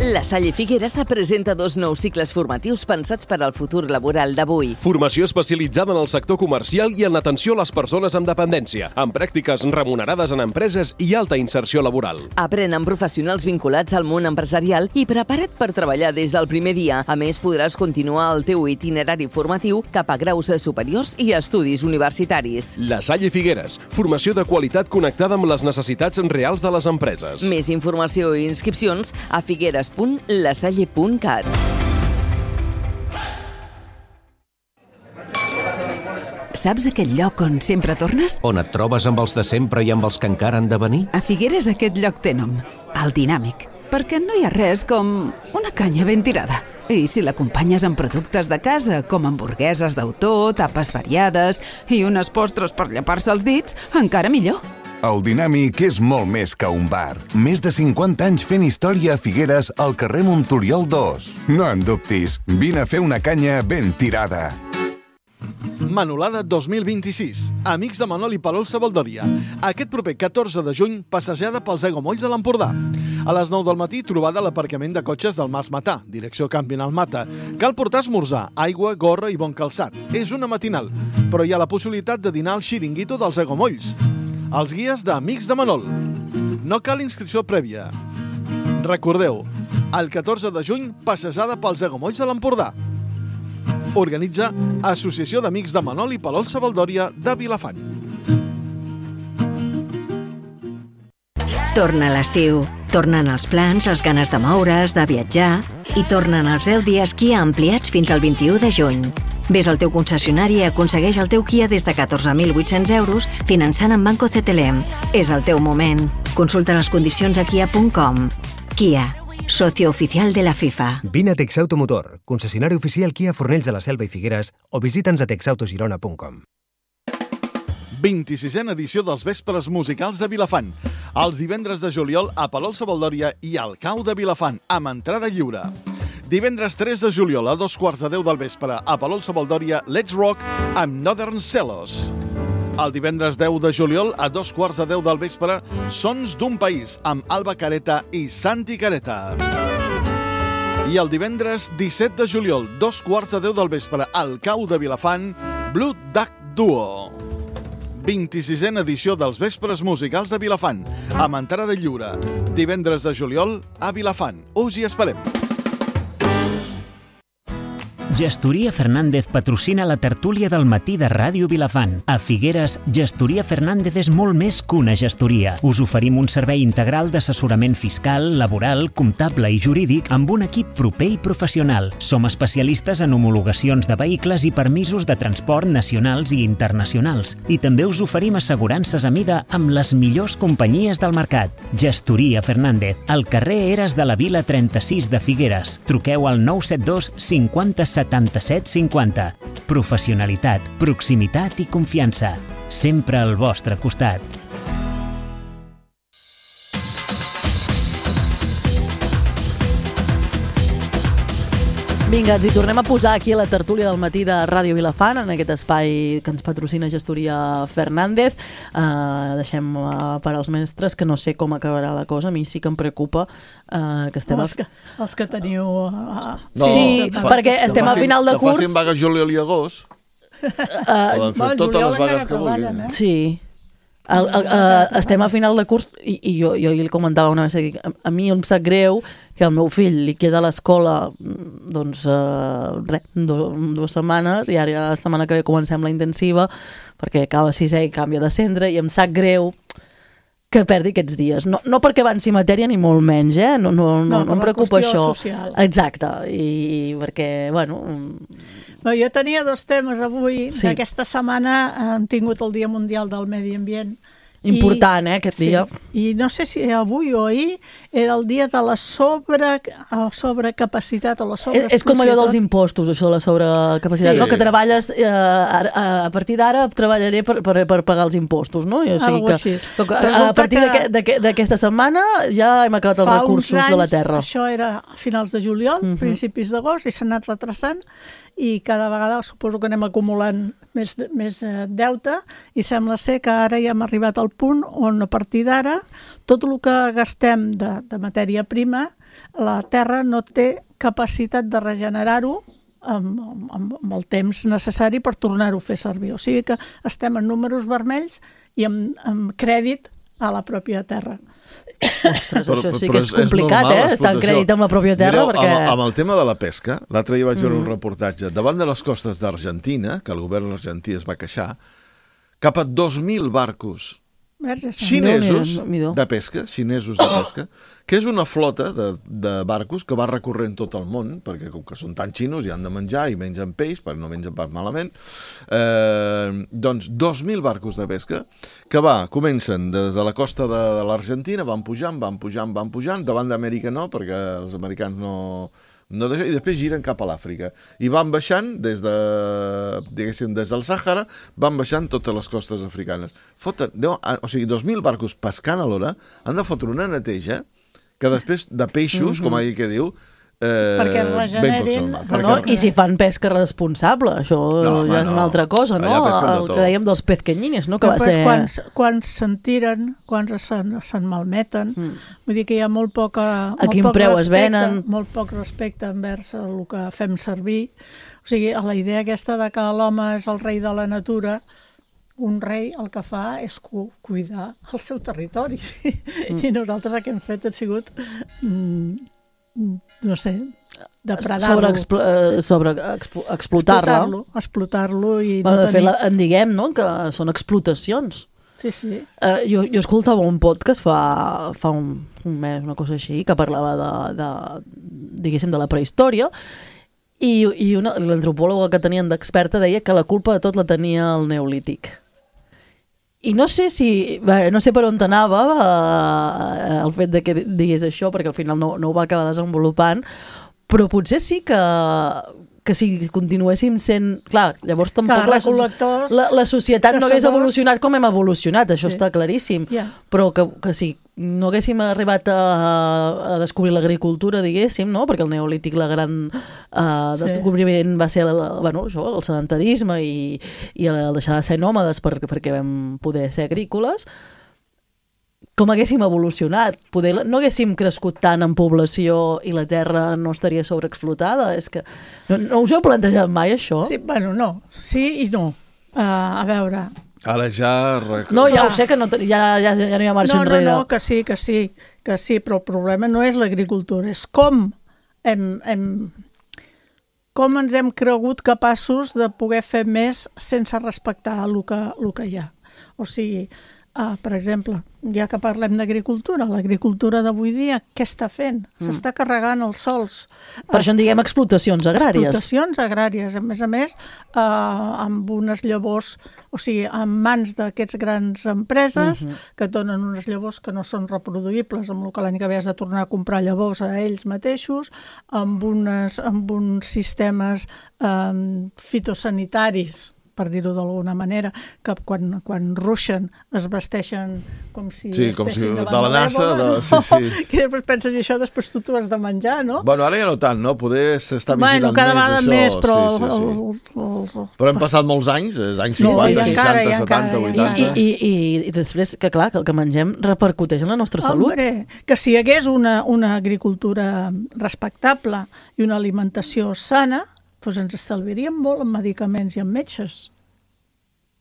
La Salle Figueres presenta dos nous cicles formatius pensats per al futur laboral d'avui. Formació especialitzada en el sector comercial i en l'atenció a les persones amb dependència, amb pràctiques remunerades en empreses i alta inserció laboral. Aprèn amb professionals vinculats al món empresarial i prepara't per treballar des del primer dia. A més, podràs continuar el teu itinerari formatiu cap a graus superiors i estudis universitaris. La Salle Figueres, formació de qualitat connectada amb les necessitats reals de les empreses. Més informació i inscripcions a figueres punt lasalle punt cat. Saps aquell lloc on sempre tornes? On et trobes amb els de sempre i amb els que encara han de venir? A Figueres aquest lloc té nom, el Dinàmic, perquè no hi ha res com una canya ben tirada. I si l'acompanyes amb productes de casa, com hamburgueses d'autor, tapes variades i unes postres per llepar-se els dits, encara millor. El Dinàmic és molt més que un bar. Més de cinquanta anys fent història a Figueres al carrer Montoriol dos. No en dubtis, vine a fer una canya ben tirada. Manolada dos mil vint-i-sis. Amics de Manol i Palol Sabaldòria. Aquest proper catorze de juny, passejada pels aiguamolls de l'Empordà. A les nou del matí, trobada a l'aparcament de cotxes del Mas Matà, direcció Camping al Mata. Cal portar esmorzar, aigua, gorra i bon calçat. És una matinal, però hi ha la possibilitat de dinar al xiringuito dels aiguamolls. Els guies d'Amics de Manol. No cal inscripció prèvia. Recordeu, el catorze de juny, passejada pels aiguamolls de l'Empordà. Organitza Associació d'Amics de Manol i Palol Sabaldòria de Vilafant. Torna l'estiu. Tornen els plans, les ganes de moure's, de viatjar i tornen els deu dies Kia ampliats fins al vint-i-u de juny. Ves al teu concessionari i aconsegueix el teu Kia des de catorze mil vuit-cents euros finançant amb Banco C T L M. És el teu moment. Consulta les condicions a kia punt com. Kia, socio oficial de la FIFA. Vine a Texauto Motor, concessionari oficial Kia Fornells de la Selva i Figueres, o visita'ns a texautogirona punt com. vint-i-sisena edició dels Vespres Musicals de Vilafant. Els divendres de juliol a Palol Sabaldòria i al Cau de Vilafant, amb entrada lliure. Divendres tres de juliol a dos quarts de deu del vespre a Palol Sabaldòria, Let's Rock amb Northern Celos. El divendres deu de juliol a dos quarts de deu del vespre, Sons d'un País amb Alba Careta i Santi Careta. I el divendres disset de juliol, dos quarts de deu del vespre, al Cau de Vilafant, Blue Duck Duo. vint-i-sisena edició dels Vespres Musicals de Vilafant, amb entrada lliure. Divendres de juliol a Vilafant. Us hi esperem. Gestoria Fernández patrocina la tertúlia del matí de Ràdio Vilafant. A Figueres, Gestoria Fernández és molt més que una gestoria. Us oferim un servei integral d'assessorament fiscal, laboral, comptable i jurídic amb un equip proper i professional. Som especialistes en homologacions de vehicles i permisos de transport nacionals i internacionals. I també us oferim assegurances a mida amb les millors companyies del mercat. Gestoria Fernández, al carrer Eres de la Vila trenta-sis de Figueres. Truqueu al nou set dos cinquanta setanta-set cinquanta. Professionalitat, proximitat i confiança. Sempre al vostre costat. Vinga, ens hi tornem a posar aquí a la tertúlia del matí de Ràdio Vilafant, en aquest espai que ens patrocina Gestoria Fernández. Uh, deixem uh, per als mestres, que no sé com acabarà la cosa. A mi sí que em preocupa uh, que estem... Els que, els que teniu... Uh, no, sí, fa, perquè estem a final de curs. Que facin vagues juliol i agost. Uh, Poden fer totes les vagues que vulguin. Eh? Sí. El, el, uh, estem a final de curs i, i jo, jo li comentava una vegada, a, a mi em sap greu que al meu fill li queda a l'escola doncs uh, res, do, dues setmanes i ara la setmana que ve comencem la intensiva perquè acaba sisè i canvia de centre i em sap greu que perdi aquests dies. No, no perquè avanci matèria ni molt menys, eh? No, no, no, no, no em preocupa això. Social. Exacte, i, i perquè, bueno... Bé, jo tenia dos temes avui. Sí. Aquesta setmana hem tingut el Dia Mundial del Medi Ambient Important, eh, aquest dia. Sí. I no sé si avui o ahir era el dia de la sobre, sobrecapacitat o la sobreexplotació. És com allò dels impostos, això de la sobrecapacitat, sí. no? Que treballes, eh, a, a partir d'ara treballaré per, per, per pagar els impostos, no? I, o sigui Algo que, així. que, a partir d'aquesta setmana ja hem acabat els recursos de la terra. Això era a finals de juliol, uh-huh. principis d'agost, i s'ha anat retrasant, i cada vegada suposo que anem acumulant més, més deute, i sembla ser que ara ja hem arribat al punt on a partir d'ara tot el que gastem de, de matèria prima, la Terra no té capacitat de regenerar-ho amb, amb, amb el temps necessari per tornar-ho a fer servir. O sigui que estem en números vermells i amb, amb crèdit a la pròpia Terra. Ostres, però, això sí que és complicat, és eh? Estar en crèdit amb la pròpia terra. Mireu, perquè... amb, amb el tema de la pesca, l'altre dia vaig veure mm. un reportatge, davant de les costes d'Argentina, que el govern argentí es va queixar, cap a dos mil barcos xinesos de pesca, xinesos de pesca, que és una flota de, de barcos que va recorrent tot el món, perquè com que són tan xinos i han de menjar i mengen peix, perquè no mengen pas malament, eh, doncs dos mil barcos de pesca que va, comencen des de la costa de, de l'Argentina, van pujant, van pujant, van pujant, davant d'Amèrica no, perquè els americans no... No, i després giren cap a l'Àfrica i van baixant des de, diguéssim, des del Sàhara, van baixant totes les costes africanes. Foten, no, o sigui, dos mil barcos pescant a l'hora han de fotre una neteja que després de peixos, mm-hmm. com aquell que diu, eh, perquè regenerin. No, I si fan pesca responsable, això no, home, ja és no. una altra cosa, no? El que dèiem dels pezqueñines, no? Que va ser... Quants, quants se'n tiren, quants se'n se malmeten, mm. vull dir que hi ha molt poca... A quin poc preu respecte, es venen. Molt poc respecte envers el que fem servir. O sigui, la idea aquesta de que l'home és el rei de la natura, un rei el que fa és cu cuidar el seu territori. Mm. I nosaltres el que hem fet ha sigut... Mm, no sé, depredar-lo. Sobre, sobre explotar-lo. Explotar-lo. Explotar-lo i bueno, no de tenir... fet, la, en diguem, no?, que són explotacions. Sí, sí. Uh, jo, jo escoltava un podcast fa, fa un, un mes, una cosa així, que parlava de, de, diguéssim, de la prehistòria, i, i l'antropòloga que tenien d'experta deia que la culpa de tot la tenia el neolític. I no sé si, bé, no sé per on t'anava eh, el fet de que digués això, perquè al final no, no ho va acabar desenvolupant, però potser sí que, que si continuéssim sent... Clar, llavors tampoc la, la, la societat no hagués evolucionat com hem evolucionat, això sí. Està claríssim, yeah. Però que, que si no haguéssim arribat a, a descobrir l'agricultura, diguéssim, no? Perquè el neolític, la gran uh, descobriment va ser el, bueno, això, el sedentarisme i, i el deixar de ser nòmades per, perquè vam poder ser agrícoles, com haguéssim evolucionat. Poder, no haguéssim crescut tant en població i la terra no estaria sobreexplotada. És que no, no us heu plantejat mai, això? Sí, bueno, no. Sí i no. Uh, a veure... Ara ja... Rec... No, ja ho sé, que no, ja, ja, ja no hi ha marxa no, enrere. No, no, que sí, que sí, que sí, però el problema no és l'agricultura, és com hem, hem, com ens hem cregut capaços de poder fer més sense respectar el que, el que hi ha. O sigui, uh, per exemple, ja que parlem d'agricultura, l'agricultura d'avui dia, què està fent? Mm. S'està carregant els sols. Per això en diguem explotacions agràries. Explotacions agràries, a més a més, uh, amb unes llavors, o sigui, en mans d'aquests grans empreses mm-hmm. que donen unes llavors que no són reproduïbles, amb el que l'any que ve has de tornar a comprar llavors a ells mateixos, amb, unes, amb uns sistemes um, fitosanitaris, per dir-ho d'alguna manera, que quan, quan ruixen es vesteixen com si sí, com si de la NASA, de... no? sí, sí. Que després penses, i això després tu t'ho has de menjar, no? Bueno, ara ja no tant, no? Poder s'està vigilant bueno, cada més, això. Més, però... Sí, sí, sí. El, el, el... Però hem passat molts anys, anys cinquanta, sí, sí, seixanta, encara, setanta, vuitanta... I, i, i, I després, que clar, que el que mengem repercuteix en la nostra salut. Hombre, que si hi hagués una, una agricultura respectable i una alimentació sana, doncs ens estalviaríem molt en medicaments i en metges.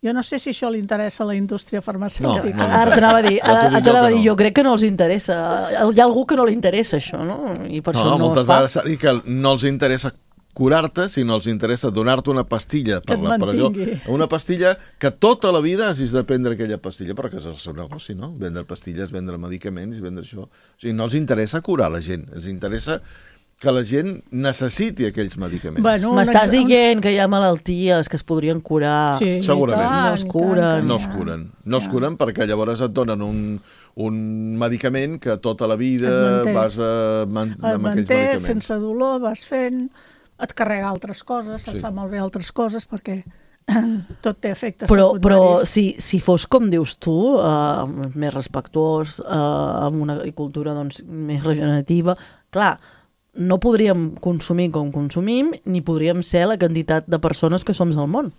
Jo no sé si això li interessa a la indústria farmacèutica. No, no ara t'anava a dir, ara t'anava a dir, jo crec que no els interessa. Hi ha algú que no li interessa això, no? I per no, això no moltes es fa. Vegades s'ha dit que no els interessa curar-te, sinó els interessa donar-te una pastilla per la presó. Una pastilla que tota la vida hagis de prendre aquella pastilla, però que és el seu negoci, no? Vendre pastilles, vendre medicaments i vendre això. O sigui, no els interessa curar la gent, els interessa que la gent necessiti aquells medicaments. Bueno, m'estàs dient que hi ha malalties que es podrien curar. Sí, segurament. No es curen. No es curen. No es curen perquè llavors et donen un, un medicament que tota la vida vas a, man, et amb manté, aquells medicaments. sense dolor, vas fent, et carrega altres coses, et Sí. fa malbé altres coses perquè tot té efectes Però, secundaris. però si, si fos com dius tu, uh, més respectuós, uh, amb una agricultura doncs, més regenerativa, clar, no podríem consumir com consumim, ni podríem ser la quantitat de persones que som al món.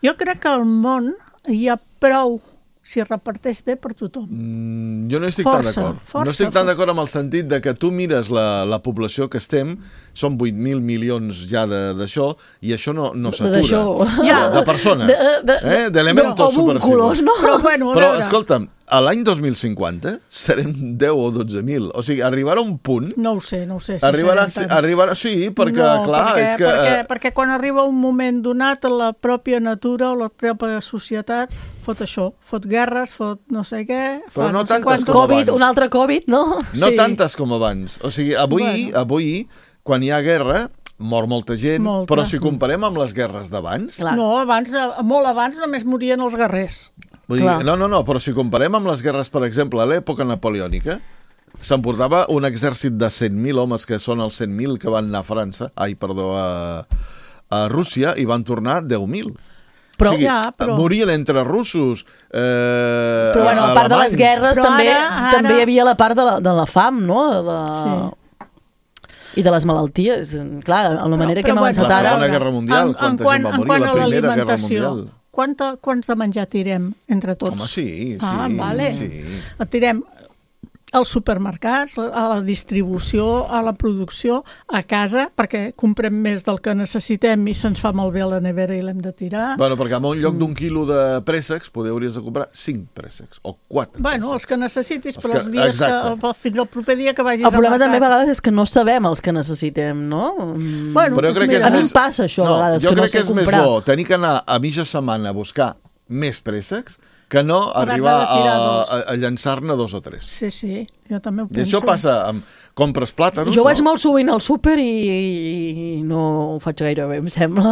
Jo crec que al món hi ha prou si es reparteix bé per tothom. Mm, jo no estic Força, tan d'acord. força, No estic tan força. d'acord amb el sentit de que tu mires la, la població que estem, són vuit mil milions ja d'això, i això no, no s'atura. D'això. De, Ja. de persones. De- de- eh? D'elementos d'homúnculos, subversius. no? Però, bueno, a Però, veure, escolta'm, a l'any dos mil cinquanta serem deu o dotze mil. O sigui, arribarà un punt... no ho sé, no ho sé. Si Arribarà, serem tants. arribarà, sí, perquè, no, clar, perquè, és que... Perquè, eh, perquè quan arriba un moment donat, la pròpia natura o la pròpia societat fot això, fot guerres, fot no sé què... Però fa no sé tantes quantos- com Covid, abans. un altre Covid, no? No Sí. tantes com abans. O sigui, avui, Bueno. avui quan hi ha guerra, mor molta gent, Molta. però si comparem amb les guerres d'abans... No, abans, eh, molt abans només morien els guerrers. Vull dir, no, no, no, però si comparem amb les guerres, per exemple, a l'època napoleònica, s'emportava un exèrcit de cent mil homes, que són els cent mil que van anar a França, ai, perdó, a, a Rússia, i van tornar deu mil. Però, o sigui, ja, però- morien entre russos, eh, Però bueno, a part de les alemanys. guerres Però també, ara- ara- també hi havia la part de la, de la fam, no? De... Sí. I de les malalties. Clar, a la manera Però- que hem però avançat La ara... Segona Guerra Mundial, En- en quanta quant- gent va en morir, quant la a Primera Guerra l'alimentació, Mundial. Quanta, quants de menjar tirem entre tots? Home, sí, sí. Ah, vale. sí. El tirem als supermercats, a la distribució, a la producció, a casa, perquè comprem més del que necessitem i se'ns fa malbé a la nevera i l'hem de tirar. Bueno, perquè en un lloc d'un quilo de préssecs poder hauries de comprar cinc préssecs o quatre Bueno, préssecs. els que necessitis, Els però que- els dies exacte. que, fins al proper dia que vagis El problema al també a mercat. vegades és que no sabem els que necessitem, no? Mm. Bueno, Però jo crec que és a mi més... em passa això a no, vegades, jo que no crec sé que és comprar. més bo tenir que anar a mitja setmana a buscar més préssecs que no Haver-ne arribar de tirar a, dos. a, a llançar-ne dos o tres. Sí, sí, jo també ho I penso. això passa amb... Compres plàtanos... Jo no? vaig molt sovint al súper i, i no ho faig gaire bé, em sembla.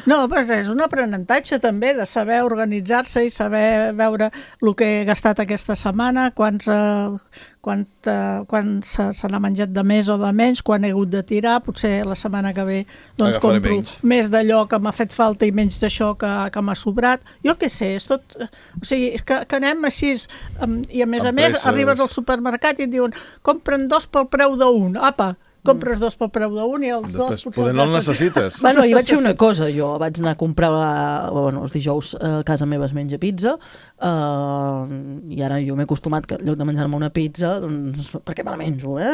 No, però és un aprenentatge també de saber organitzar-se i saber veure el que he gastat aquesta setmana, quants, eh, quant, eh, quan se, se n'ha menjat de més o de menys, quan he hagut de tirar, potser la setmana que ve doncs, Agafaré compro menys. més d'allò que m'ha fet falta i menys d'això que, que m'ha sobrat. Jo què sé, és tot... O sigui, és que, que anem així, em, i a més a Amb més presses. arribes al supermercat i et diuen compren dos pel preu d'un. Apa, compres dos pel preu d'un i els dos Després, potser poder els no el gastes- necessites. Bueno, jo vaig fer una cosa, jo vaig anar a comprar, bueno, els dijous a casa meva es menja pizza, uh, i ara jo m'he acostumat que en lloc de menjar-me una pizza, doncs, perquè me la menjo, eh?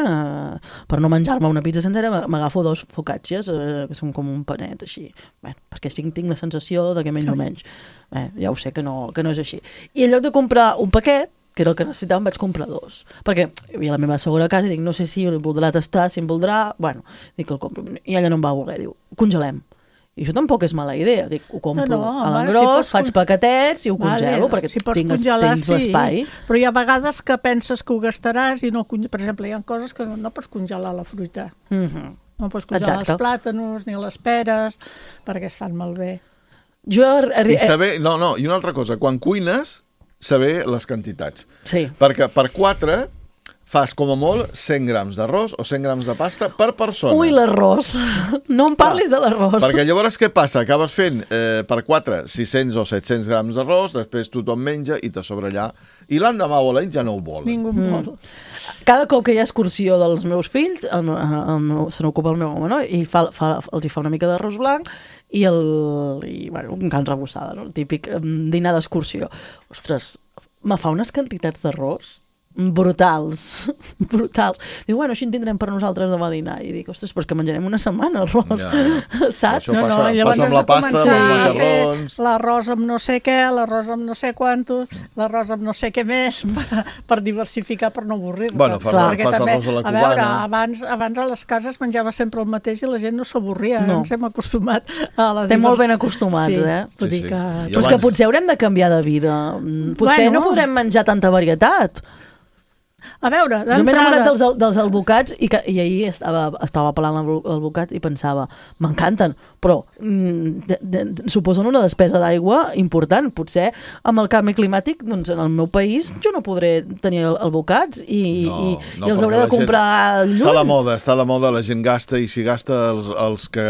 Per no menjar-me una pizza sencera m'agafo dos focaccias, eh, que són com un panet, així. Bueno, perquè tinc, tinc la sensació de que menjo menys. Eh, ja ho sé que no, que no és així. I en lloc de comprar un paquet, que era el que necessitàvem, vaig comprar dos. Perquè hi havia la meva segona casa i dic, no sé si el voldrà tastar, si em voldrà... Bueno, dic que el compro. I ella no em va voler, diu, congelem. I això tampoc és mala idea. Dic, ho compro No, no, a home, l'engròs, si pots faig con- paquetets i ho Vale, congelo, perquè si pots tinc, congelar, tens l'espai. Però hi ha vegades que penses que ho gastaràs i no... conge- Per exemple, hi ha coses que no, no pots congelar la fruita. Mhm. No pots congelar Exacte. els plàtanos ni les peres perquè es fan malbé. Jo... I saber... No, no, i una altra cosa. Quan cuines, saber les quantitats. Sí. Perquè per quatre fas com a molt cent grams d'arròs o cent grams de pasta per persona. Ui, l'arròs. No em parlis de l'arròs. Perquè llavors què passa? Acabes fent eh, per quatre sis-cents o set-cents grams d'arròs, després tothom menja i te sobra allà. I l'endemà o l'any ja no ho volen. Ningú Mm. vol. Cada cop que hi ha excursió dels meus fills, el, meu- el, meu- se n'ocupa el meu home, no? I fa, fa, els hi fa una mica d'arròs blanc i, el, i bueno, un can rebussada, no? El típic em, dinar d'excursió. Ostres, me fa unes quantitats d'arròs brutals, brutals. Diu, bueno, així en tindrem per nosaltres demà a dinar. I dic, ostres, però és que menjarem una setmana arròs, Ja. saps? Això passa- llavors passa amb has la de pasta, començar amb els a fer macarrons. l'arròs amb no sé què, l'arròs amb no sé quantos, l'arròs amb no sé què més, per, per diversificar, per no avorrir-te. Bueno, fas- Perquè fas també, arròs a la a veure, cubana. abans, abans a les cases menjava sempre el mateix i la gent no s'avorria. No. Ens hem acostumat a la Estem molt ben divers- acostumats, sí, eh? Vull Sí, dir sí. que... I Però és que abans- potser haurem de canviar de vida. Mm, Potser Bueno. no podrem menjar tanta varietat. A veure, d'entrada... Jo m'he enamorat dels, dels albocats i, que, i ahir estava, estava parlant amb l'albocat i pensava, m'encanten, però mm, de, de, suposen una despesa d'aigua important. Potser amb el canvi climàtic, doncs en el meu país jo no podré tenir albocats i, no, i, no, i els hauré de comprar gent... lluny. Està de moda, està de moda, la gent gasta i si gasta els, els que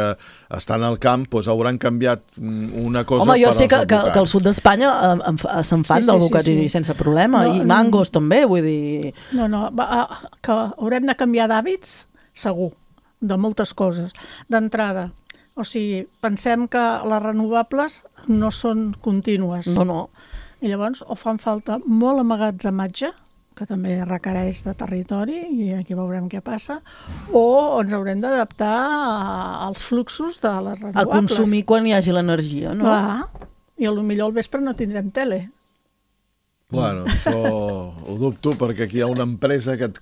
estan al camp doncs hauran canviat una cosa. Home, jo per sé que, als que, que al sud d'Espanya se'n fan sí, d'albocats sí, sí, sí. sense problema, no, i mangos no, també, vull dir... No, no, va, que haurem de canviar d'hàbits, segur, de moltes coses. D'entrada, o sigui, pensem que les renovables no són contínues. No, no. I llavors o fan falta molt emmagatzematge, que també requereix de territori, i aquí veurem què passa, o ens haurem d'adaptar als fluxos de les renovables. A consumir quan hi hagi l'energia, no? Va, i potser al vespre no tindrem tele. Bueno, això ho dubto perquè aquí hi ha una empresa que et,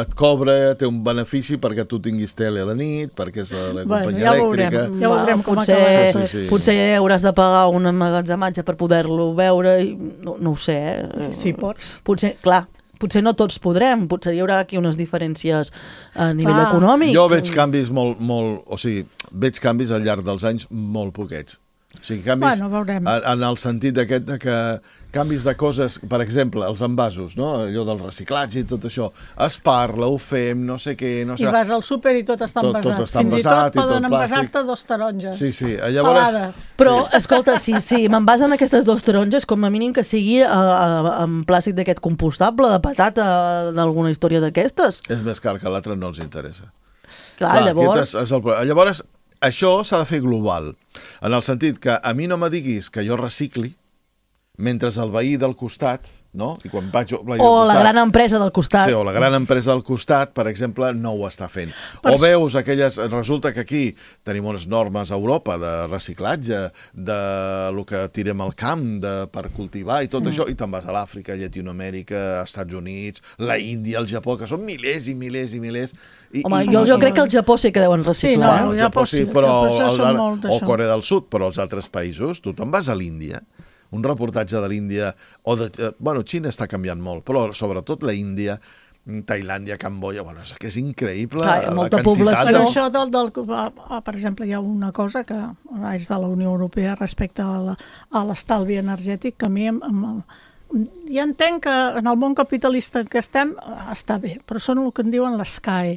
et cobra, té un benefici perquè tu tinguis tele a la nit, perquè és la companyia bueno, ja elèctrica. Veurem, ja veurem com potser, acaba. Sí, sí, sí. Potser hauràs de pagar un emmagatzematge per poder-lo veure, i no, no ho sé. Eh? Sí, pots. Potser, clar, potser no tots podrem, potser hi haurà aquí unes diferències a nivell ah. econòmic. Jo veig canvis molt, molt, o sigui, veig canvis al llarg dels anys molt poquets. O sigui, canvis bueno, veurem. en el sentit d'aquest de que canvis de coses, per exemple, els envasos, no? Allò del reciclatge i tot això. Es parla, ho fem, no sé què, no sé... I vas al súper i tot està tot, envasat. Tot està Fins envasat, i tot poden envasar-te dos taronges. Sí, sí. Llavors... Pelades. Però, escolta, si, si m'envasen aquestes dos taronges, com a mínim que sigui a, a, en plàstic d'aquest compostable, de patata, d'alguna història d'aquestes. És més car que l'altre, no els interessa. Clar, Clar llavors... És, és el... Llavors, això s'ha de fer global, en el sentit que a mi no me diguis que jo recicli, mentre el veí del costat, no? I quan vaig o costat, la gran empresa del costat. Sí, o la gran empresa del costat, per exemple, no ho està fent. Per o veus aquelles... Resulta que aquí tenim unes normes a Europa de reciclatge, de lo que tirem al camp de, per cultivar i tot mm. això, i te'n vas a l'Àfrica, Llatinoamèrica, Estats Units, la Índia, el Japó, que són milers i milers i milers. I, Home, i, jo, jo i, crec que el Japó sí que deuen reciclar. Sí, no, el Japó sí, sí, però el, el, el, o Corea del Sud, però els altres països, tu te'n vas a l'Índia, un reportatge de l'Índia, o de, bueno, Xina està canviant molt, però sobretot la Índia, Tailàndia, Camboya, bueno, és que és increïble. Clar, la molta quantitat població. Però això del, del, per exemple, hi ha una cosa que és de la Unió Europea respecte a l'estalvi energètic, que a mi em, em, ja entenc que en el món capitalista en què estem està bé, però són el que en diuen l'S C A E,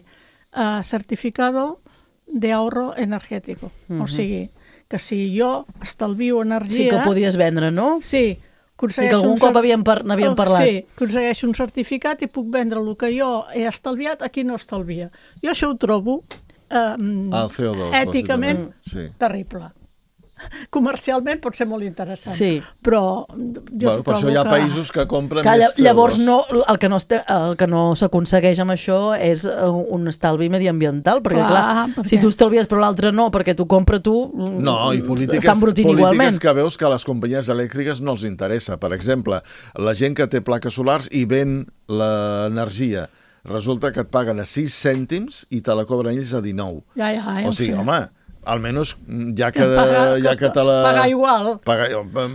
uh, Certificado de Ahorro Energético. Mm-hmm. O sigui, que si jo estalvio energia... Sí, que ho podies vendre, no? Sí. I que algun cop n'havíem par parlat. Sí, aconsegueixo un certificat i puc vendre el que jo he estalviat a qui no estalvia. Jo això ho trobo eh, el C O dos, èticament sí. terrible. Comercialment pot ser molt interessant, sí. però jo bueno, per això hi ha que... països que compren que més llavors no, el que no, no s'aconsegueix amb això és un estalvi mediambiental, perquè clar, clar perquè... si tu estalvies però l'altre no, perquè tu compra tu, no, i polítiques, estan brutint polítiques igualment. Que veus que a les companyies elèctriques no els interessa. Per exemple, la gent que té plaques solars i ven l'energia, resulta que et paguen a sis cèntims i te la cobren ells a dinou. Ja, ja, ja, o sigui, sí. home... almenys ja que, paga, ja que te la... Paga igual. Paga,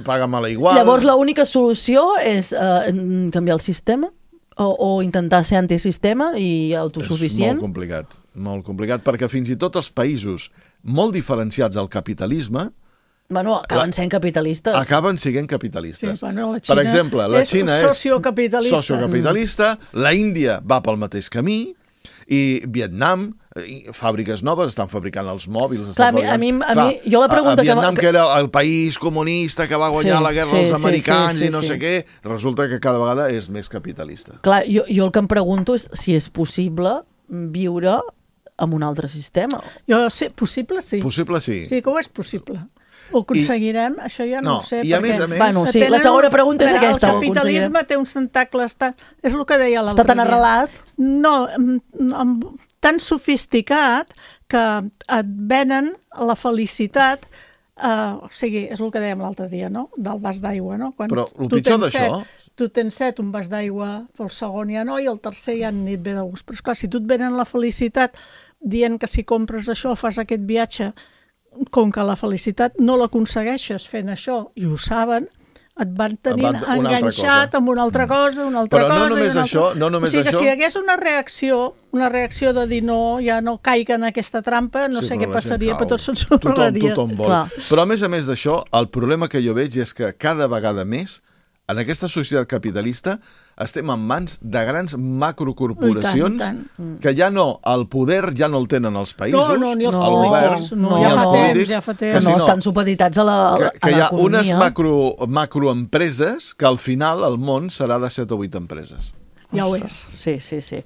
paga-me-la igual. Llavors l'única solució és uh, canviar el sistema o, o intentar ser antisistema i autosuficient? És molt complicat, molt complicat, perquè fins i tot els països molt diferenciats al capitalisme Bueno, acaben la, sent capitalistes. Acaben sent capitalistes. Sí, bueno, la Xina per exemple, la és Xina és sociocapitalista. sociocapitalista, la Índia va pel mateix camí, i Vietnam, fàbriques noves, estan fabricant els mòbils. Clar, fabricant... a mi, a mi, jo la pregunta a, a Vietnam, que... que era el país comunista que va guanyar sí, la guerra sí, als americans sí, sí, sí, i no sí. sé què, resulta que cada vegada és més capitalista. Clar, jo, jo el que em pregunto és si és possible viure amb un altre sistema. Jo sé, possible sí. Possible sí. Sí, que ho és possible. Ho aconseguirem, I, això ja no, no ho sé. I a més a més... Bueno, sí, la segona pregunta és aquesta. El capitalisme té uns tentacles, està, és el que deia l'altre dia. Està tan arrelat? No, tan sofisticat que et venen la felicitat, uh, o sigui, és el que dèiem l'altre dia, no? Del vas d'aigua, no? Quan Però el pitjor d'això... Tu tens set, un vas d'aigua, el segon ja no, i el tercer ja ni et ve de gust. Però esclar, si tu et venen la felicitat dient que si compres això, fas aquest viatge, com que la felicitat no l'aconsegueixes fent això, i ho saben, et van tenint Van- una altra enganxat cosa. amb una altra cosa, una altra Però no cosa... i només una això, altra... no només o sigui que això. si hi hagués una reacció, una reacció de dir no, ja no caiga en aquesta trampa, no Sí, sé però què la gent passaria, cau. però tot Tothom, s'ensorraria. tothom vol. Però a més a més d'això, el problema que jo veig és que cada vegada més en aquesta societat capitalista estem en mans de grans macrocorporacions I tant, i tant. que ja no, el poder ja no el tenen els països, No, no, ni els el polítics, govern, no, ni ja els fa temps, polítics, ja fa temps. que si no, no, estan supeditats a la- que, a que hi ha l'economia. unes macro, macroempreses que al final el món serà de set o vuit empreses. Ja ho és. Sí, sí, sí.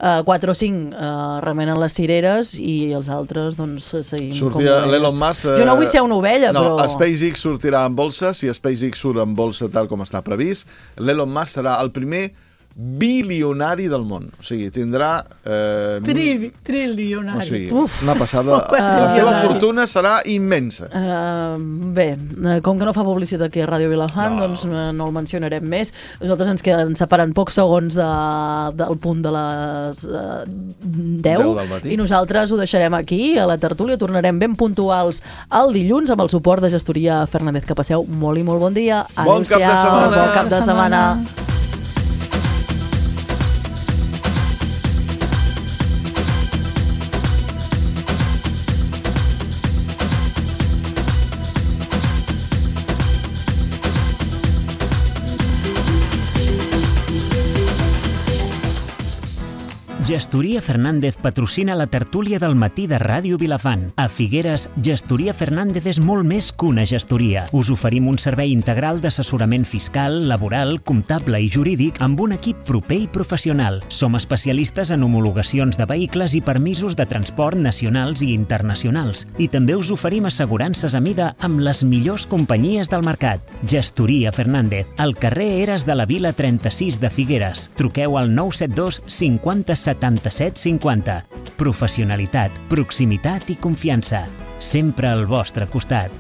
Uh, quatre o cinc uh, remenen les cireres i els altres, doncs, seguim Sortia com l'Elon Musk... Jo no vull ser una ovella, no, però... SpaceX sortirà en bolsa. Si SpaceX surt en bolsa tal com està previst, l'Elon Musk serà el primer bilionari del món. O sigui, tindrà... Eh, Tri, o trilionari. sigui, Uf. una passada... La seva fortuna serà immensa. Uh, bé, uh, com que no fa publicitat aquí a Ràdio Vilafant, no. doncs uh, no el mencionarem més. Nosaltres ens queden separant pocs segons de, del punt de les uh, deu, deu del matí. i nosaltres ho deixarem aquí, a la tertúlia. Tornarem ben puntuals el dilluns amb el suport de Gestoria Fernández. Que passeu molt i molt bon dia. Bon cap de setmana. Bon cap de setmana. Gestoria Fernández patrocina la tertúlia del matí de Ràdio Vilafant. A Figueres, Gestoria Fernández és molt més que una gestoria. Us oferim un servei integral d'assessorament fiscal, laboral, comptable i jurídic amb un equip proper i professional. Som especialistes en homologacions de vehicles i permisos de transport nacionals i internacionals. I també us oferim assegurances a mida amb les millors companyies del mercat. Gestoria Fernández, al carrer Eres de la Vila trenta-sis de Figueres. Truqueu al nou set dos cinquanta setanta-set cinquanta. Professionalitat, proximitat i confiança. Sempre al vostre costat.